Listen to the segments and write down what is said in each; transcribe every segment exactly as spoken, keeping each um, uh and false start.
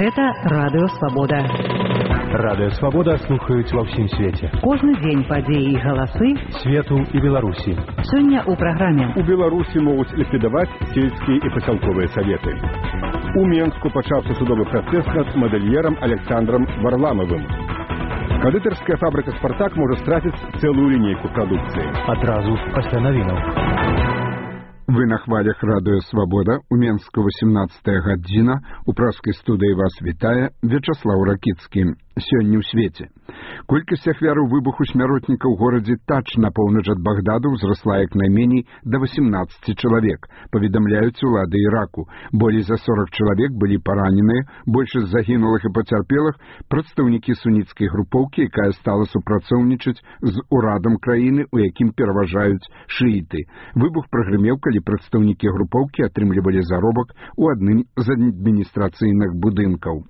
Гэта Радыё Свабода. Радыё Свабода слухаюць ва ўсім свеце. Кожны дзень падзеі і галасы свету і Беларусі. Сёння ў праграме. У Беларусі могуць ліквідаваць сельскія і пасялковыя саветы. У Менску пачаўся судовы працэс над мадэльерам Александром Варламовым. Кандытарская фабрыка «Спартак» можа страціць цэлую лінейку прадукцыі. Адразу пасля навінаў. Вы на хвалях Радыё Свабода. У Менску восемнадцатая гадзіна. У праскай студыі вас вітае Вячаслаў Ракіцкі. Сёння ў свеце. Колькасць ахвяраў выбуху смяротніка ў горадзе Тач на поўнач ад Багдаду ўзрасла як найменей да восемнадцати чалавек, паведамляюць улады Іраку. Болей за сорок чалавек былі параненыя, большасць загінулых і пацярпелых прадстаўнікі суніцкай групоўкі, якая стала супрацоўнічаць з урадам краіны, у якім пераважаюць шыіты. Выбух прагрымеў, калі прадстаўнікі групоўкі атрымлівалі заробак у адным з адміністрацыйных будынкаў.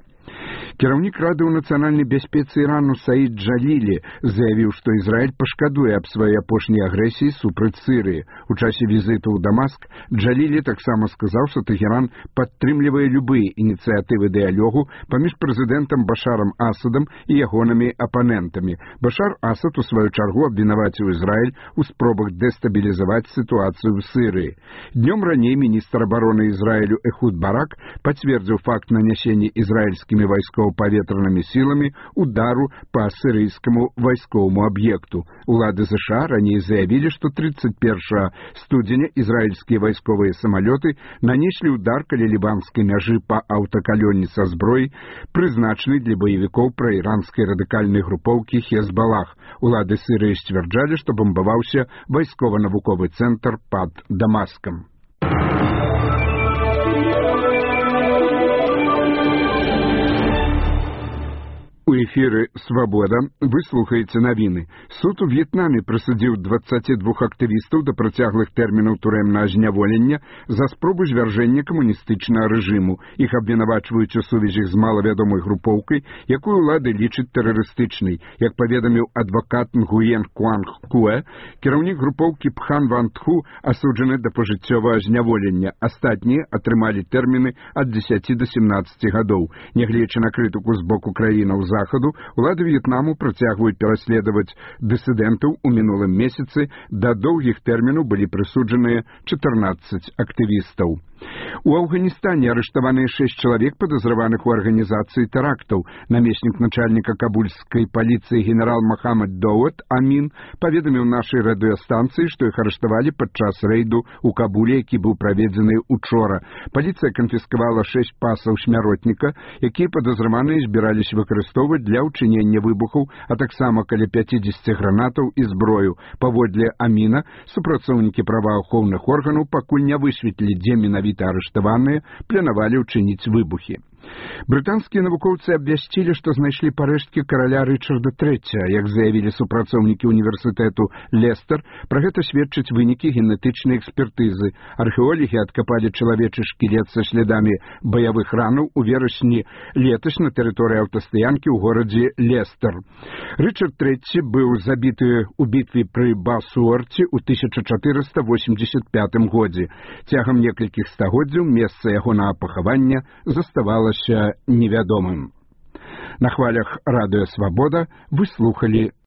Кіраўнік Рады ў нацыянальнай бяспецы Ірану Саід Джалілі заявіў, што Ізраіль пашкадуе аб сваёй апошняй агрэсіі супраць Сірыі. У часе візіту ў Дамаск Джалілі таксама сказаў, што Тэхеран падтрымлівае любыя ініцыятывы дыялогу паміж прэзідэнтам Башарам Асадам і ягонымі апанентамі. Башар Асад у сваю чаргу абвінаваціў Ізраіль у спробах дэстабілізаваць сітуацыю ў Сірыі. Днём раней міністр абароны Ізраілю Эхуд Барак пацвердзіў факт нанясення ізраільскімі вайскова-паветранымі сіламі удару па сірыйскаму вайсковаму аб'екту. Улады ЗША раней заявілі, што тридцать первого студзеня ізраільскія вайсковыя самалёты нанеслі удар каля лібанскай мяжы па аўтакалёне са зброяй, прызначанай для баевікоў праіранскай радыкальнай групоўкі Хезбалах. Улады Сірыі сцвярджалі, што бамбаваўся вайскова-навуковы цэнтр пад Дамаскам. У эфіры «Свабода» вы слухаеце навіны. Суд у В'етнаме прысудзіў дваццаці двух актывістаў да працяглых тэрмінаў турэмнага зняволення за спробу звяржэння камуністычнага рэжыму. Іх абвінавачваюць у сувязях з малавядомай групоўкай, якую ўлады лічаць тэрарыстычнай. Як паведаміў адвакат Нгуен Куанг Куэ, кіраўнік групоўкі Пхан Ван Тху асуджаны да пажыццёвага зняволення. Астатнія атрымалі тэрміны ад дзесяці да семнаццаці гадоў. Нягледзячы на крытыку з боку краінаў Захаду, улады В'етнаму працягваюць пераследаваць дысідэнтаў. У мінулым месяцы да доўгіх тэрмінаў былі прысуджаныя чатырнаццаць актывістаў. У Афганістане арыштаваныя шэсць чалавек, падазраваных у арганізацыі тэрактаў. Намеснік начальніка кабульскай паліцыі генерал Махамад Доуд Амін паведаміў нашай радыёстанцыі, што іх арыштавалі падчас рэйду ў Кабуле, які быў праведзены учора. Паліцыя канфіскавала шэсць пасаў смяротніка, якія падазраваныя збіраліся выкарыстоўваць для ўчынення выбухаў, а таксама каля пяцідзесяці гранатаў і зброю. Паводле Аміна, супрацоўнікі праваахоўных органаў пакуль не высветлілі, дзе менавіта арыштаваныя планавалі ўчыніць выбухі. Брытанскія навукоўцы абвясцілі, што знайшлі парэшткі караля Рычарда трэцяга. Як заявілі супрацоўнікі універсітэту Лестер, пра гэта сведчаць вынікі генетычнай экспертызы. Археолагі адкапалі чалавечы шкілет са слядамі баявых ранаў у верасні летась на тэрыторыі аўтастаянкі ў горадзе Лестер. Рычард трэці быў забіты ў бітве пры Басуорце ў тысяча чатырыста восемьдесят пятым годзе. Цягам некалькіх стагоддзяў месца ягонага пахавання заставалася невядомым. На хвалях Радыё Свабода вы слухалі